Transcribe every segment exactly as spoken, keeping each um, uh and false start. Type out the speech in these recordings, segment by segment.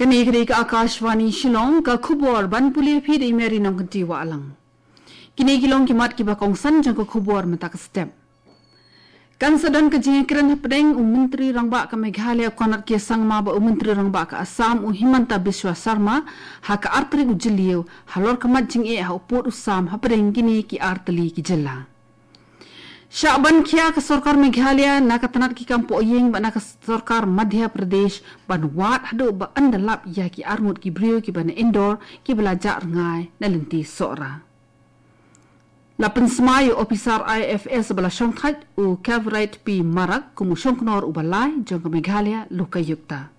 Kane ka dei ka Akashvani Shillong, ka khubor ban pule phi da i Mary Nongkynti Wahlang. Kine ki long ki mat kiba kongsan jong ka khubor mynta ka step. Kan sa don ka jingkren hapdeng u Myntri Rangbah ka Meghalaya Conrad K Sangma bad u Myntri Rangbah ka Assam u Himanta Biswa Sarma ha ka ar tarik u Jylliew halor ka mat jingeh ha u pud u sam hapdeng kine ki ar tylli ki jylla. Shah ban khia ka sorkar Meghalaya na ka tnat ki kam pohïing bad na ka sorkar Madhya Pradesh ban wad haduh ba yn da lap ïa ki arngut ki briew kiba na Indore kiba la jah rngai na lynti Sohra. La pynsmai u ophisar I F S ba la shongthait u Kavright P Marak kum u shongknor uba lai jong ka Meghalaya Lokayukta.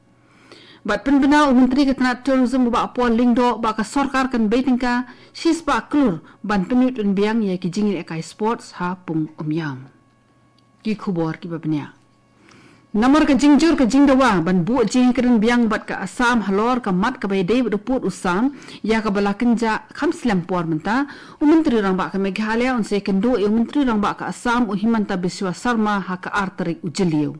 Bad pynbna u Myntri ka tnat Tourism u Bah Paul Lyngdoh ba ka sorkar kan bei tyngka shispah klur ban pynmih pynbiang ïa ki jingïalehkai sports ha Pung Umïam. Ki khubor kiba bniah. Namar ka jingjur ka jingdawa ban buh jingkren biang bad ka Assam halor ka mat kaba ïadei bad u pud u sam ïa kaba la kynjah kham slem por mynta, u Myntri Rangbah ka Meghalaya un sa ïakynduh ïa u Myntri Rangbah ka Assam u Himanta Biswa Sarma ha ka ar tarik u Jylliew.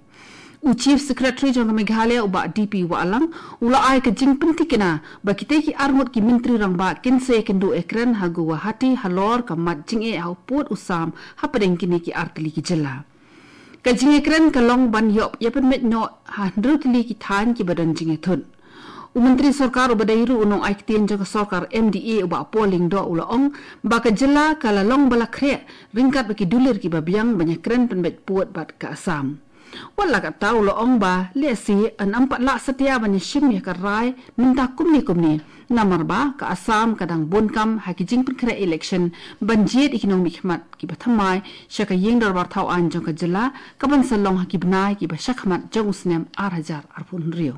U Chief Secretary jong ka Meghalaya u Bah D P Wahlang u la ai ka jingpynthikna ba kitei ki arngut ki Myntri Rangbah kin sa ïakynduh ïakren ha Guwahati halor ka mat jingeh ha u pud u sam hapdeng kine ki ar tylli ki jylla. Ka jingïakren ka long ban ïoh ïapynmih noh ha hynriew tylli ki thaiñ kiba don jingïathut. U Myntri Sorkar uba dei ruh u nongai ktien jong ka sorkar M D A u Bah Paul Lyngdoh u la ong ba ka jylla ka la long ba la khreh ryngkat bad ki dulir kiba biang ban ïakren pynbeit pud bad ka Assam. Wat la katta u la ong ba lehse yn ym pat lah satia ban ïashim ïa ka rai mynta kumne kumne. Namar ba ka Assam ka dang bun kam ha ki jingpynkhreh election ban jied ïa ki nongmihkhmat kiba thymmai sha ka ïing dorbar thaw aiñ jong ka jylla kaban sa long ha ki bnai kiba shakhmat jong u snem ar hajar arphew hynriew.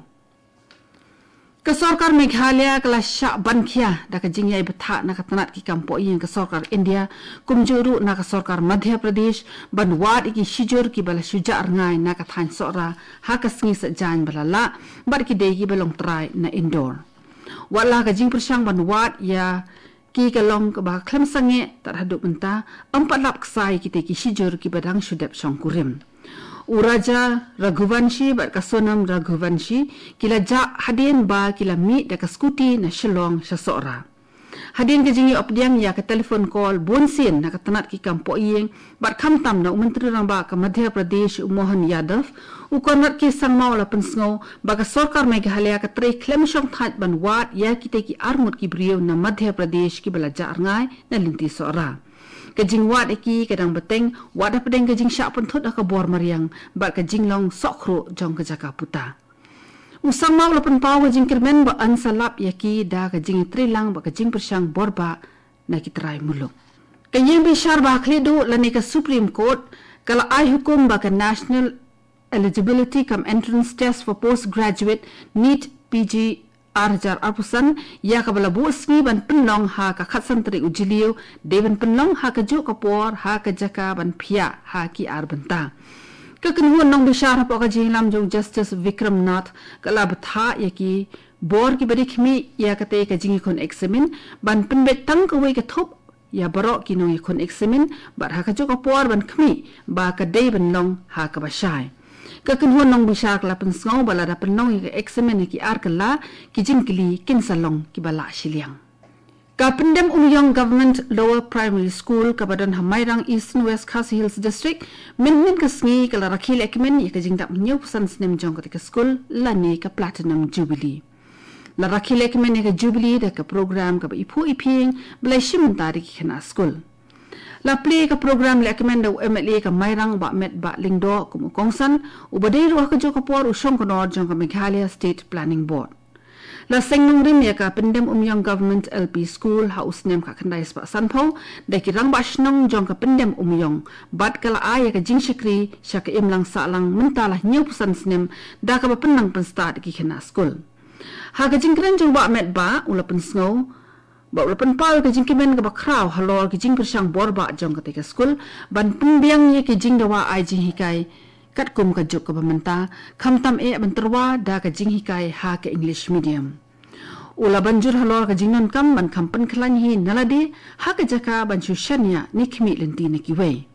Ka sorkar Meghalaya ka la shah ban khia da ka jingïai bthah na ka tnat ki kam pohïing ka sorkar India kumjuh ruh na ka sorkar Madhya Pradesh ban wad ïa ki shijur kiba la shu jah rngai na ka thaiñ Sohra ha ka sngi Saitjaiñ ba la lah bad ki dei kiba long trai na Indore. Wat la ka jingpyrshang ban wad ïa ki ka long kaba khlem sangeh tad haduh mynta, ym pat lap ksai kitei ki shijur kiba dang shu dep shongkurim. U Raja Raghuvanshi bad ka Sonam Raghuvanshi ki la jah hadien ba ki la mih da ka scooty na Shillong sha Sohra. Hadien ka jingïoh pdiang ïa ka telephone call bunsien na ka tnat ki kam pohïing bad khamtam na u Myntri Rangbah ka Madhya Pradesh u Mohan Yadav, u Conrad K Sangma u la pynsngew ba ka sorkar Meghalaya ka trei khlem shongthait ban wad ïa kitei ki arngut ki briew na Madhya Pradesh kiba la jah rngai na lynti Sohra. Ka jingwad ïa ki ka dang bteng wat hapdeng ka jingshah pynthut ha ka bor mariang bad ka jinglong sohkhruh jong ka jaka puta. U Sangma u la pynpaw ka jingkyrmen ba yn sa lap ïa ki da ka jingïatreilang bad ka jingpyrshang borbah na ki trai muluk. Ka ïing bishar ba khlieh duh lane ka Supreme Court ka la ai hukum ba ka National Eligibility cum Entrance Test for Postgraduate, NEET P G, ar hajar arphew san ïa kaba la buh sngi ban pynlong ha ka khatsan tarik u Jylliew dei ban pynlong ha kajuh ka por ha ka jaka ban phiah ha ki ar bynta. Ka kynhun nongbishar hapoh ka jingïalam jong Justice Vikram Nath ka la bthah ïa ki bor kiba dei khmih ïa katei ka jingïakhun eksamin ban pynbeit tang kawei ka thup ïa baroh ki nongïakhun eksamin bad ha kajuh ka por ban khmih ba ka dei ban long ha kaba shai. Ka kynhun nongbishar ka la pynsngew ba lada pynlong ïa ka eksamin ha ki ar kylla, ki jingkylli kin sa long kiba lah shiliang. Ka Pyndem Umïong Government Lower Primary School kaba don ha Mairang, Eastern West Khasi Hills District, mynhynnin ka sngi ka la rakhe lehkmen ïa ka jingdap hynñiewphew san snem jong katei ka skul lane ka Platinum Jubilee. La rakhe lehkmen ïa ka Jubilee da ka program kaba iphuh iphieng ba la shim bynta da ki khynnah skul. La plie ka program lehkmen da u M L A ka Mairang Bah Metbah Lyngdoh kum u kongsan, uba dei ruh ha kajuh ka por u shongknor jong ka Meghalaya State Planning Board. La seng nongrim ïa ka Pyndem Umïong Government L P School ha u snem khatkhyndai spah sanphew da ki rangbah shnong jong ka Pyndem Umïong bad ka la ai ïa ka jingshakri sha ka imlang sahlang mynta la hynñiewphew san snem da kaba pynnang pynstad ïa ki khynnah skul. Ha ka jingkren jong u Bah Metbah u la pynsngew ba u la pynpaw ïa ka jingkmen kaba khraw halor ka jingpyrshang borbah jong katei ka skul ban pynbiang ïa ka jingdawa ai jinghikai katkum ka juk kaba mynta, khamtam eh ban tyrwa da ka jinghikai ha ka English medium. U la ban jur halor ka jingdonkam ban kham pynkhlaiñ hi na lade ha ka jaka ban shu shaniah ne khmih lynti na kiwei.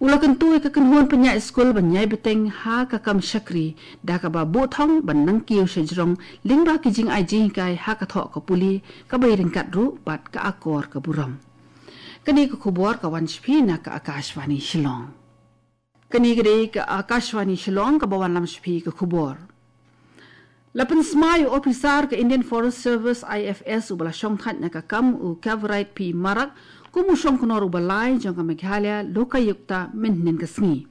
U la kyntu ïa ka kynhun pynïaid skul ban ïai bteng ha ka kam shakri da kaba buh thong ban nang kiew sha jrong lyngba ki jingai jinghikai ha ka thoh ka pule kaba ïa ryngkat ruh bad ka akor ka burom. Kane ka khubor ka wan sha phi na ka Akashvani Shillong. Kane ka dei ka Akashvani Shillong kaba wanlam sha phi ka khubor. La pynsmai u ophisar ka Indian Forest Service, I F S, uba la shongthait na ka kam, u Kavright P Marak, kum u shongknor uba lai jong ka Meghalaya Lokayukta mynhynnin ka sngi.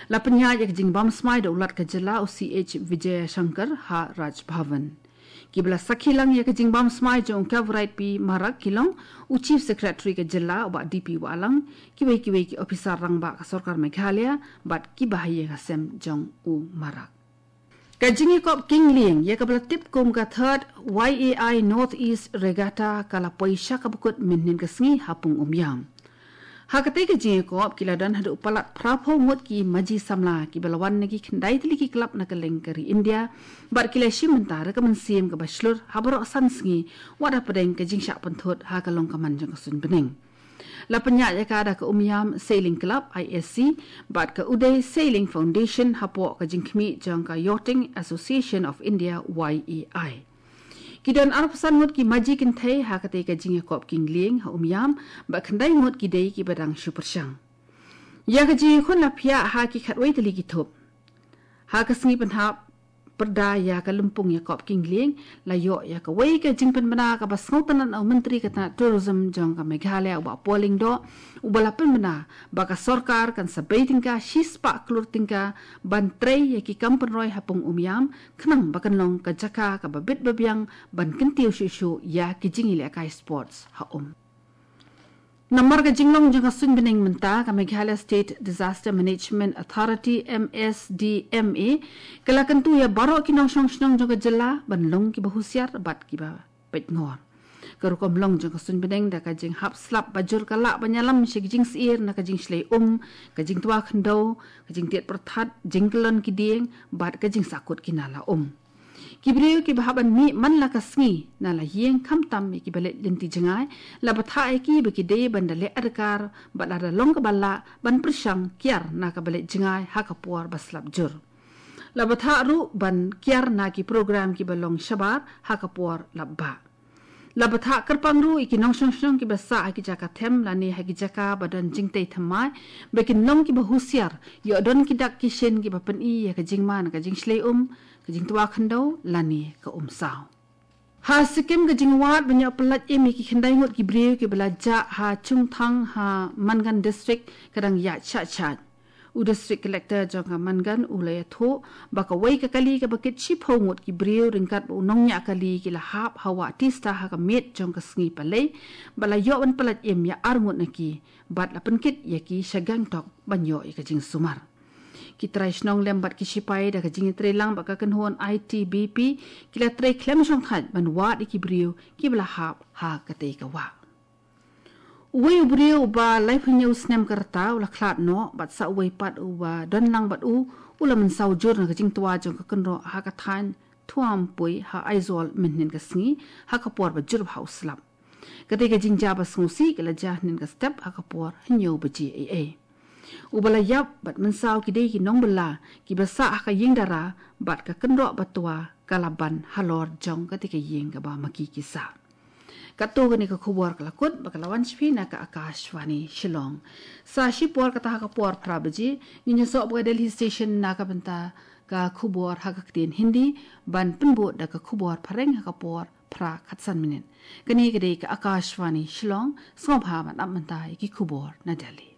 La pynïaid ïa ka jingbam smai da u Lat ka jylla, u C H Vijayashankar, ha Raj Bhavan. Kiba la sakhi lang ïa ka jingbam smai jong u Kavright P Marak ki long u Chief Secretary ka jylla, u Bah D P Wahlang, kiwei kiwei ki ophisar rangbah ka sorkar Meghalaya bad kiba ha ïing ha sem jong u Marak. Ka jingïakop kynglieng ïa kaba la tip kum ka Third Y A I North East Regatta ka la poi sha kaba kut mynhynnin ka sngi ha Pung Umiam. Ha katei ka jingïakop ki la don haduh palat phraphew ngut ki maji samla kiba la wan na ki khyndai tylli ki klab na kylleng ka ri India bad ki la shim bynta da ka mynsiem kaba shlur ha baroh san sngi, wat hapdeng ka jingshah pynthut ha ka long ka man jong ka suiñ bneng. La pynïaid ïa ka da ka Umiam Sailing Club, I S C, bad ka Uday Sailing Foundation hapoh ka jingkhmih jong ka Yachting Association of India, Y A I. Ki don arphew san ngut ki maji kynthei ha katei ka jingïakop kynglieng ha Umiam, bad khyndai ngut ki dei kiba dang shu pyrshang. Ïa ka jingïakhun la phiah ha ki khatwei tylli ki thup. Ha ka sngi pynhap pyrda ïa ka lympung ïakop kynglieng, la ïoh ïa kawei ka jingpynbna kaba sngewtynnat na u Myntri ka tnat Tourism jong ka Meghalaya, u Bah Paul Lyngdoh, uba la pynbna ba ka sorkar kan sa bei tyngka shispah klur tyngka ban trei ïa ki kam pynroi ha Pung Umiam, khnang ba kan long ka jaka kaba bit ba biang ban kyntiew shuh shuh ïa ki jingïalehkai sports ha um. Namar ka jinglong jong ka suiñ bneng mynta, ka Meghalaya State Disaster Management Authority, M S D M A, ka la kyntu ïa baroh ki nongshong shnong jong ka jylla ban long kiba husiar bad kiba peit ngor. Ka rukom long jong ka suiñ bneng da ka jinghap slap ba jur ka lah ban ïalam sha ki jingsyier na ka jingshlei um, ka jingtwa khyndew, ka jingtied pyrthat, jingkyllon ki dieng bad ka jingsakut ki nala um. Ki briew kiba hap ban mih man la ka sngi na la ïing, khamtam ïa kiba leit lynti jngai, la bthah ïa ki ba ki dei ban da leh adkar bad lada long kaba lah ban pyrshang kiar na kaba leit jngai ha ka por ba slap jur. La bthah ruh ban kiar na ki program kiba long shabar ha ka por lap bah. La bthah kyrpang ruh ïa ki nongshong shnong kiba sah ha ki jaka them lane ha ki jaka ba don jingtei thymmai ba kin long kiba husiar, ïoh don ki dak ki shin kiba pyni ïa ka jingma na ka jingshlei um, ka jingtwa khyndew lane ka um saw. Ha Sikkim, ka jingwad ban ïoh pyllait im ïa ki khyndai ngut ki briew kiba la jah ha Chungthang ha Mangan District ka dang ïaid shah shah. U District Collector jong ka Mangan u la ïathuh ba kawei ka kali kaba kit shiphew ngut ki briew ryngkat bad u nongñiah kali ki la hap ha wah Teesta ha ka miet jong ka sngi Palei, bad la ïoh ban pyllait im ïa ar ngut na ki bad la pynkit ïa ki sha Gangtok ban ïoh ïa ka jingsumar. Ki trai shnong lem bad ki shipai da ka jingïatreilang bad ka kynhun I T B P ki la trei khlem shongthait ban wad ïa ki briew kiba la hap ha katei ka wah. Uwei u briew uba laiphew hynñiew snem ka rta u la khlad noh, bad sa uwei pat uba don lang bad u, u la mynsaw jur na ka jingtwa jong ka kynroh ha ka thaiñ Thuampui ha Aizawl mynhynnin ka sngi ha ka por ba jur bha u slap. Katei ka jingjia ba sngewsih ka la jia hynnin ka step ha ka por hynñiew baje eiei. Uba la ïap bad mynsaw ki dei ki nongbylla kiba sah ha ka ïing dara bad ka kynroh ba twa ka la ban halor jong katei ka ïing kaba ma ki ki sah. Katto kane ka khubor ka la kut bad ka la wan sha phi na ka Akashvani Shillong. Sa shipor kata ha ka por phra baje ngin ïasoh bad ka Delhi Station na ka bynta ka khubor ha ka ktien Hindi, ban pynbud da ka khubor phareng ha ka por phra khatsan minit. Kane ka dei ka Akashvani Shillong, sngewbha ban ap mynta ïa ki khubor na Delhi.